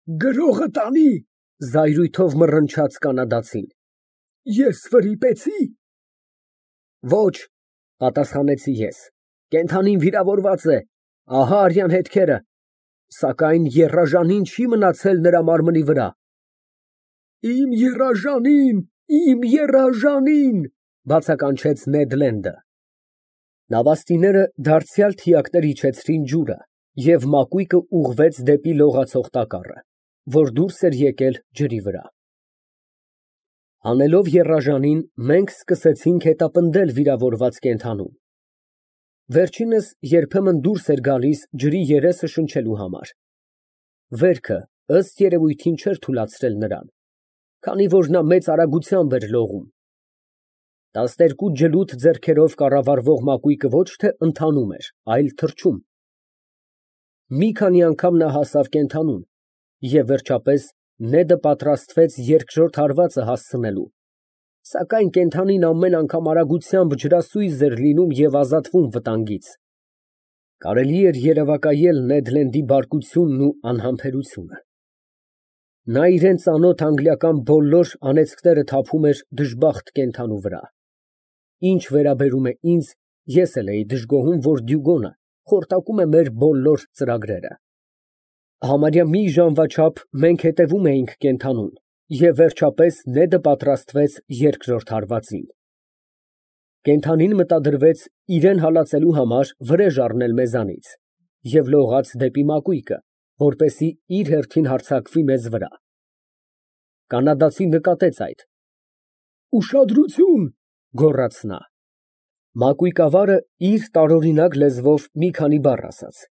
Գրողը տանի։ Զայրույթով մռնչաց կանադացին։ Ես վրիպեցի։ Ոչ, պատասխանեցի ես, կենդանին վիրավորված է, ահա արյան հետքերը, սակայն եռաժանին չի մնացել նրա մարմնի վրա։ Իմ եռաժանին, Բացականչեց Նեդ Լենդը։ Նավաստիները դարձյալ թիակներ իջեցրին ջուրը, և մակույկը ուղղվեց դեպի լողացող տակառը, որ դուրս էր եկել ջրի վրա։ Հանելով եռաժանին, մենք սկսեցինք հետապնդել վիրավորված կենդանուն։ Վերջինս երբեմն դուրս էր գալիս ջրի երեսը շնչելու համար։ Վերքը, ըստ երևույթին, չէր թուլացրել նրան, քանի որ նա մեծ արագությամբ էր լողում։ 12 ջլութ ձեռքերով կառավարվող մակույկը ոչ թե ընթանում էր, այլ թռչում։ Մի քանի անգամ նա հասավ կենդանուն, և վերջապես Նեդը պատրաստվեց երկրորդ հարվածը հասցնելու, սակայն կենդանին ամեն անգամ արագությամբ ջրասույզ էր լինում և ազատվում վտանգից։ Կարելի էր երևակայել Նեդ Լենդի բարկությունն ու անհամբերությունը։ Նա իրան ծանոթ անգլիական բոլոր անեծքները թափում էր դժբախտ կենդանու վրա։ Ինչ վերաբերում է ինձ, ես էլ էի դժգոհում, որ Դյուգոնը խորտակում է մեր բոլոր ծրագրերը։ Համարյա մի ժամվա չափ մենք հետևում էինք կենդանուն, և վերջապես Նեդը պատրաստվեց երկրորդ հարվածին։ Կենդանին մտադրվեց իրան հալածելու համար վրեժ առնել մեզանից և լողաց դեպի մակույկը, որպեսզի իր հերթին հարձակվի մեզ վրա։ Կանադացին նկատեց այդ։ Ուշադրություն, գոռաց նա։ Մակույկավարը իր տարօրինակ լեզվով մի քանի բառ ասաց։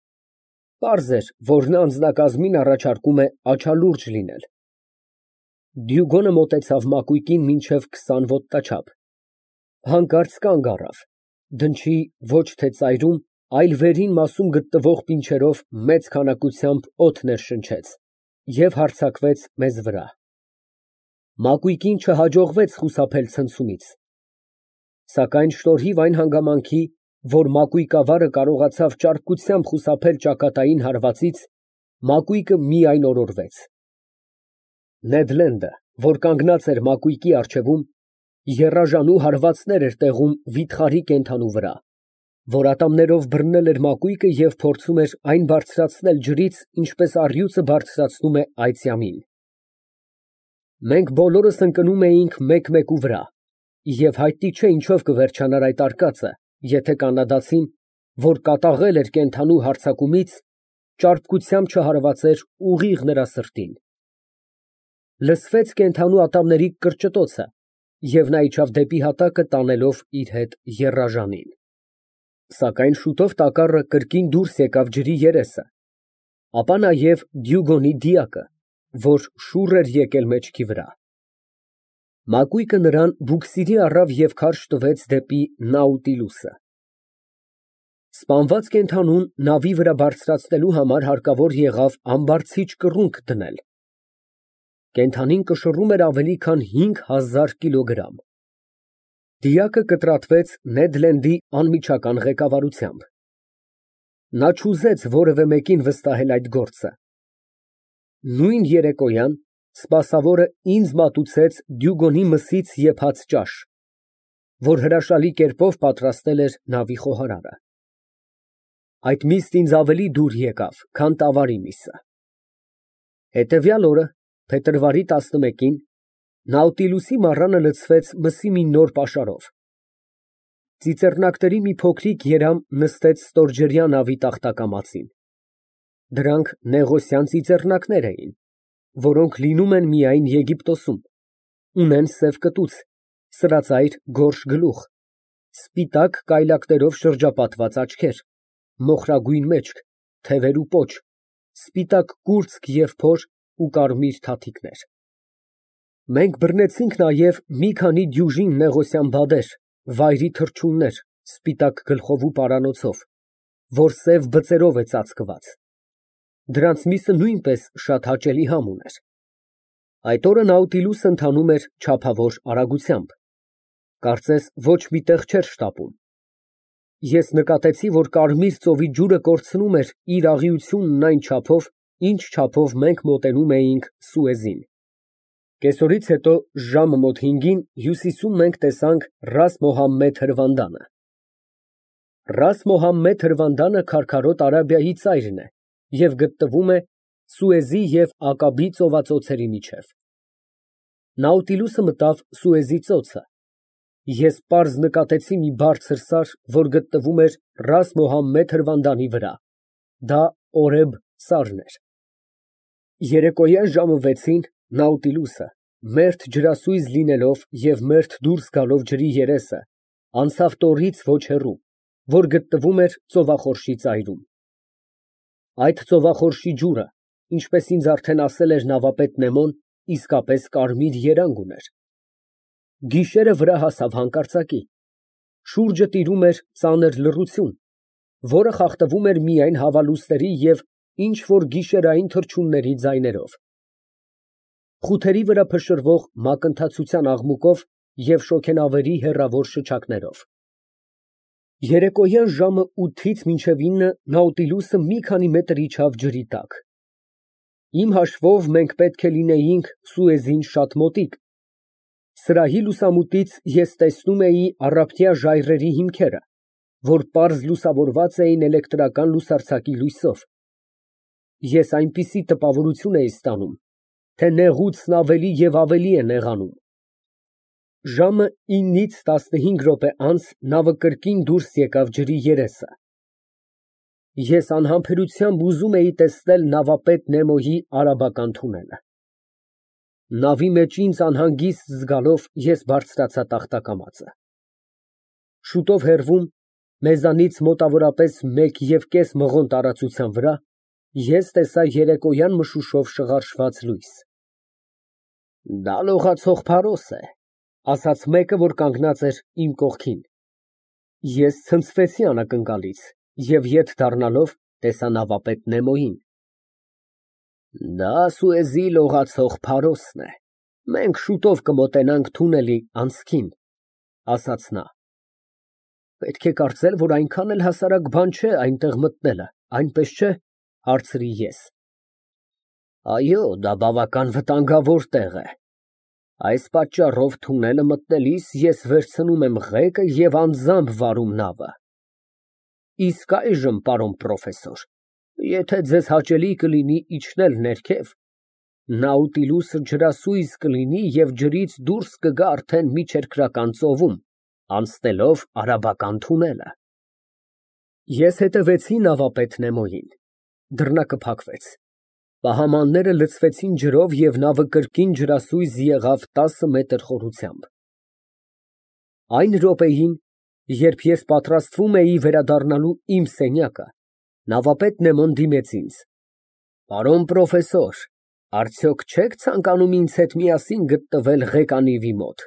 Պարզ էր, որ նա անձնակազմին առաջարկում է աչալուրջ լինել։ Դյուգոնը մոտեցավ մակույկին մինչև 20 ոտնաչափ, հանկարծ կանգ առավ, դնչի ոչ թե ծայրում, այլ վերին մասում գտնվող պինչերով մեծ քանակությամբ օդ ներշնչեց և հարձակվեց մեզ վրա։ Մակույկին չհաջողվեց խուսափել ցնցումից, սակայն շնորհիվ այն հանգամանքի, որ մակույկավարը կարողացավ ճարպկությամբ խուսափել ճակատային հարվածից, մակույկը միայն օրորվեց։ Նեդ Լենդը, որ կանգնած էր մակույկի առջևում, եռաժանու հարվածներ էր տեղում վիթխարի կենդանու վրա, որ ատամներով բռնել էր մակույկը և փորձում էր այն բարձրացնել ջրից, ինչպես առյուծը բարձրացնում է այծյամին։ Մենք բոլորս ընկնում էինք մեկ֊մեկու վրա, և հայտնի չէ ինչով կվերջանար այդ արկածը, եթե կանադացին, որ կատաղել էր կենդանու հարձակումից, ճարպկությամբ չհարվածեր ուղիղ նրա սրտին։ Լսվեց կենդանու ատամների կրճտոցը, և նա իջավ դեպի հատակը, տանելով իր հետ եռաժանին։ Սակայն շուտով տակառը կրկին դուրս եկավ ջրի երեսը, ապա նաև Դյուգոնի դիակը, որ շուռ էր եկել մեջքի վրա։ Մակույկը նրան բուքսիրի առավ և քարշ տվեց դեպի Նաուտիլուսը։ Սպանված կենդանուն նավի վրա բարձրացնելու համար հարկավոր եղավ ամբարձիչ կռունկ դնել։ Կենդանին կշռում էր ավելի քան 5000 կիլոգրամ։ Դիակը կտրատվեց Նեդ Լենդի անմիջական ղեկավարությամբ։ Նա չուզեց որևէ մեկին վստահել այդ գործը։ Նույն երեկոյան սպասավորը ինձ մատուցեց Դյուգոնի մսից եփած ճաշ, որ հրաշալի կերպով պատրաստել էր նավի խոհարարը։ Այդ միսն ինձ ավելի դուր եկավ, քան տավարի միսը։ Հետևյալ օրը, փետրվարի 11-ին, Նաուտիլուսի մառանը լցվեց մսի մի նոր պաշարով։ Ծիծեռնակների մի փոքրիկ երամ նստեց ստորջրյա նավի տախտակամածին։ Դրանք նեղոսյան ծիծեռնակներ էին, որոնք լինում են միայն Եգիպտոսում, ունեն սև կտուց, սրածայր գորշ գլուխ, սպիտակ կայլակներով շրջապատված աչքեր, մոխրագույն մեջք, թևեր ու պոչ, սպիտակ կուրծք և փոր ու կարմիր թաթիկներ։ Մենք բռնեցինք նաև մի քանի դյուժին նեղոսյան բադեր, վայրի թռչուններ, սպիտակ գլխով ու պարանոցով, որ սև բծերով է ծածկված։ Դրանց միսը նույնպես շատ հաճելի համ ուներ։ Այդ օրը Նաուտիլուսը ընթանում էր չափավոր արագությամբ, կարծես ոչ մի տեղ չէր շտապում։ Ես նկատեցի, որ Կարմիր ծովի ջուրը կորցնում էր իր աղիությունն այն չափով, ինչ չափով մենք մոտենում էինք Սուեզին։ Կեսօրից հետո ժամը մոտ 5-ին հյուսիսում մենք տեսանք Ռաս Մոհամմեդ հրվանդանը։ Ռաս Մոհամմեդ հրվանդանը քարքարոտ Արաբիայի ծայրն է և գտնվում է Սուեզի և Ակաբի ծովածոցերի միջև։ Նաուտիլուսը մտավ Սուեզի ծոցը։ Ես պարզ նկատեցի մի բարձր սար, որ գտնվում էր Ռաս Մոհամմեդ հրվանդանի վրա, դա Օրեբ սարն էր։ Երեկոյան ժամը 6-ին Նաուտիլուսը, մերթ ջրասույզ լինելով և մերթ դուրս գալով ջրի երեսը, անցավ տորից ոչ հեռու, որ գտնվում էր ծովախորշի ծայրում։ Այդ ծովախորշի ջուրը, ինչպես ինձ արդեն ասել էր նավապետ Նեմոն, իսկապես կարմիր երանգ ուներ։ Գիշերը վրա հասավ հանկարծակի, շուրջը տիրում էր ծանր լռություն, որը խախտվում էր միայն հավալուսների և ինչ֊որ գիշերային թռչունների ձայներով, խութերի վրա փշրվող մակընթացության աղմուկով և շոգենավերի հեռավոր շչակներով։ Երեկոյան ժամը 8-ից մինչև 9 Նաուտիլուսը մի քանի մետր իջավ ջրի տակ։ Իմ հաշվով մենք պետք է լինեինք Սուեզին շատ մոտիկ։ Սրահի լուսամուտից ես տեսնում էի առափնյա ժայռերի հիմքերը, որ պարզ լուսավորված էին էլեկտրական լուսարձակի լույսով։ Ես այնպիսի տպավորություն էի ստանում, թե նեղուցն ավելի և ավելի է նեղանում։ Ժամը 9-ից 15 րոպե անց նավը կրկին դուրս եկավ ջրի երեսը։ Ես անհամբերությամբ ուզում էի տեսնել նավապետ Նեմոյի արաբական թունելը։ Նավի մեջ ինձ անհանգիստ զգալով ես բարձրացա տախտակամածը։ Շուտով հեռվում, մեզանից մոտավորապես 1,5 մղոն տարածության վրա, ես տեսա երեկոյան մշուշով շղարշված լույս։ Դա լողացող փարոս է, ասաց մեկը, որ կանգնած էր իմ կողքին։ Ես ցնցվեցի անակնկալից և ետ դառնալով տեսա նավապետ Նեմոյին։ Դա Սուեզի լողացող փարոսն է, մենք շուտով կմոտենանք թունելի անցքին, ասաց նա։ Պետք է կարծել, որ այնքան էլ հասարակ բան չէ այնտեղ մտնելը, այնպես չէ՞, հարցրի ես։ Այո, դա բավական վտանգավոր տեղ է։ Այս պատճառով թունելը մտնելիս ես վերցնում եմ ղեկը և անձամբ վարում նավը։ Իսկ այժմ, պարոն պրոֆեսոր, եթե ձեզ հաճելի կլինի իջնել ներքև, Նաուտիլուսը ջրասույզ կլինի և ջրից դուրս կգա արդեն միջերկրական ծովում, անցնելով արաբական թունելը։ Ես հետևեցի նավապետ Նեմոյին։ Դռնակը փակվեց։ Պահամանները լցվեցին ջրով և նավը կրկին ջրասույզ եղավ 10 մետր խորությամբ։ Այն րոպեին, երբ ես պատրաստվում էի վերադառնալու իմ սենյակը, նավապետ Նեմոն դիմեց ինձ. Պարոն պրոֆեսոր, արդյոք չեք ցանկանում ինձ հետ միասին գտնվել ղեկանիվի մոտ։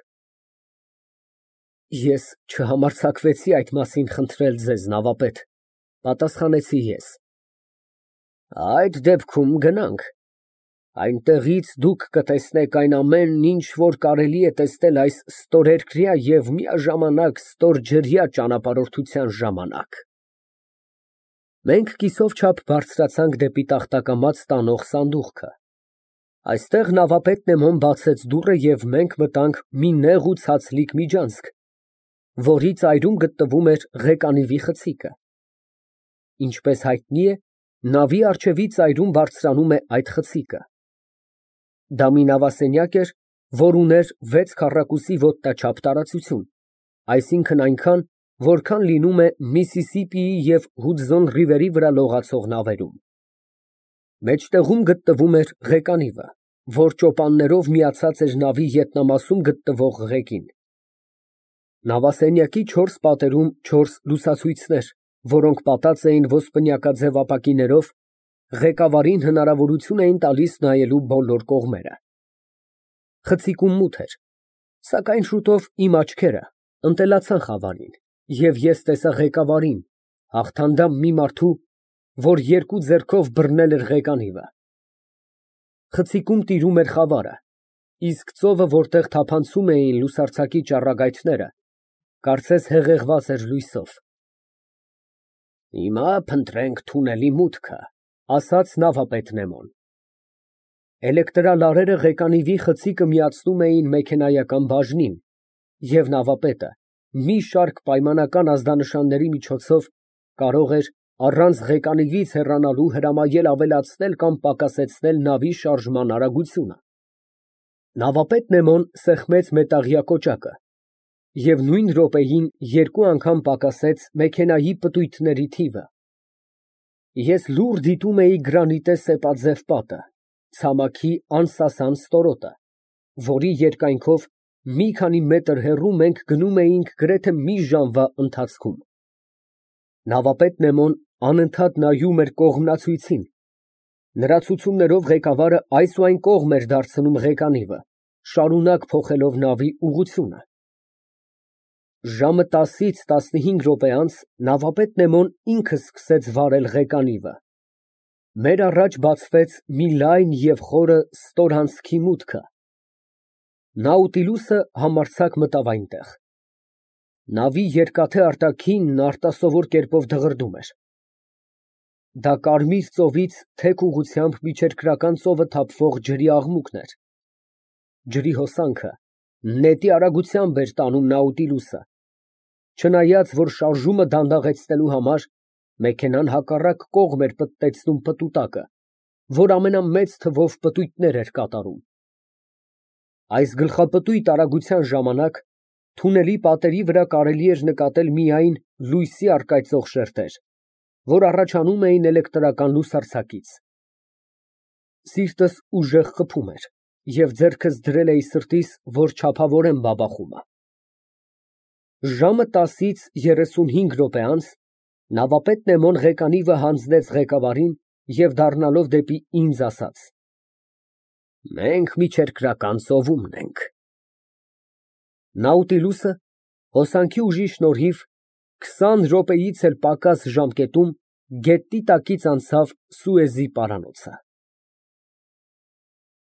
Ես չհամարձակվեցի այդ մասին խնդրել ձեզ, նավապետ, պատասխանեցի ես։ Այդ դեպքում գնանք։ Այնտեղից դուք կտեսնեք այն ամենն, ինչ որ կարելի է տեսնել այս ստորերկրյա և միաժամանակ ստորջրյա ճանապարհորդության ժամանակ։ Մենք կիսով չափ բարձրացանք դեպի տախտակամաց տանող սանդուղքը։ Այստեղ նավապետ Նեմոն բացեց դուռը և մենք մտանք մի նեղ ու ցածլիկ միջանցք, որի ծայրում գտնվում էր ղեկանիվի խցիկը։ Ինչպես հայտնի է, նավի առջևի ծայրում բարձրանում է այդ խցիկը։ Դա մի նավասենյակ էր, որ ուներ 6 քառակուսի ոտնաչափ տարածություն, այսինքն այնքան, որքան լինում է Միսիսիպիի և Հուդզոն ռիվերի վրա լողացող նավերում։ Մեջտեղում գտնվում էր ղեկանիվը, որ ճոպաններով միացած էր նավի ետնամասում գտնվող ղեկին։ Նավասենյակի 4 պատերում 4 լուսացույցներ, որոնք պատած էին ոսպնյակաձև ապակիներով, ղեկավարին հնարավորություն էին տալիս նայելու բոլոր կողմերը։ Խցիկում մութ էր, սակայն շուտով իմ աչքերը ընտելացան խավարին, և ես տեսա ղեկավարին, հաղթանդամ մի մարդու, որ երկու ձեռքով բռնել էր ղեկանիվը։ Խցիկում տիրում էր խավարը, իսկ ծովը, որտեղ թափանցում էին լուսարձակի ճառագայթները, կարծես հեղեղված էր լույսով։ Հիմա փնտրենք թունելի մուտքը, ասաց նավապետ Նեմոն։ Էլեկտրալարերը ղեկանիվի խցիկը միացնում էին մեքենայական բաժնին, և նավապետը մի շարք պայմանական ազդանշանների միջոցով կարող էր առանց ղեկանիվից հեռանալու հրամայել ավելացնել կամ պակասեցնել նավի շարժման արագությունը։ Նավապետ Նեմոն սեղմեց մետաղյա կոճակը և նույն րոպեին երկու անգամ պակասեց մեքենայի պտույտների թիվը։ Ես լուռ դիտում էի գրանիտե սեպաձև պատը, ցամաքի անսասան ստորոտը, որի երկայնքով մի քանի մետր հեռու մենք գնում էինք գրեթե մի ժամվա ընթացքում։ Նավապետ Նեմոն անընդհատ նայում էր կողմնացույցին։ Նրա ցուցումներով ղեկավարը այս ու այն կողմ էր դարձնում ղեկանիվը, շարունակ փոխելով նավի ուղղությունը։ Ժամը 10-ից 15 րոպե անց նավապետ Նեմոն ինքը սկսեց վարել ղեկանիվը։ Մեր առաջ բացվեց մի լայն և խորը ստորհանցքի մուտքը։ Նաուտիլուսը համարձակ մտավ այնտեղ։ Նավի երկաթե արտաքինն արտասովոր կերպով դղրդում էր։ Դա Կարմիր ծովից թեք ուղղությամբ Միջերկրական ծովը թափվող ջրի աղմուկն էր։ Ջրի հոսանքը նետի արագությամբ էր տանում Նաուտիլուսը, չնայած որ շարժումը դանդաղեցնելու համար մեքենան հակառակ կողմ էր պտտեցնում պտուտակը, որ ամենամեծ թվով պտույտներ էր կատարում։ Այս գլխապտույտ արագության ժամանակ թունելի պատերի վրա կարելի էր նկատել միայն լույսի առկայծող շերտեր, որ առաջանում էին էլեկտրական լուսարձակից։ Սիրտս ուժեղ խփում էր, և ձեռքս դրել էի սրտիս, որ չափավորեմ բաբախումը։ Ժամը 10-ից 35 րոպե անց նավապետ Նեմոն ղեկանիվը հանձնեց ղեկավարին և դառնալով դեպի ինձ ասաց. «Մենք Միջերկրական ծովումն ենք»։ Նաուտիլուսը հոսանքի ուժի շնորհիվ 20 րոպեից էլ պակաս ժամկետում գետնի տակից անցավ Սուեզի պարանոցը։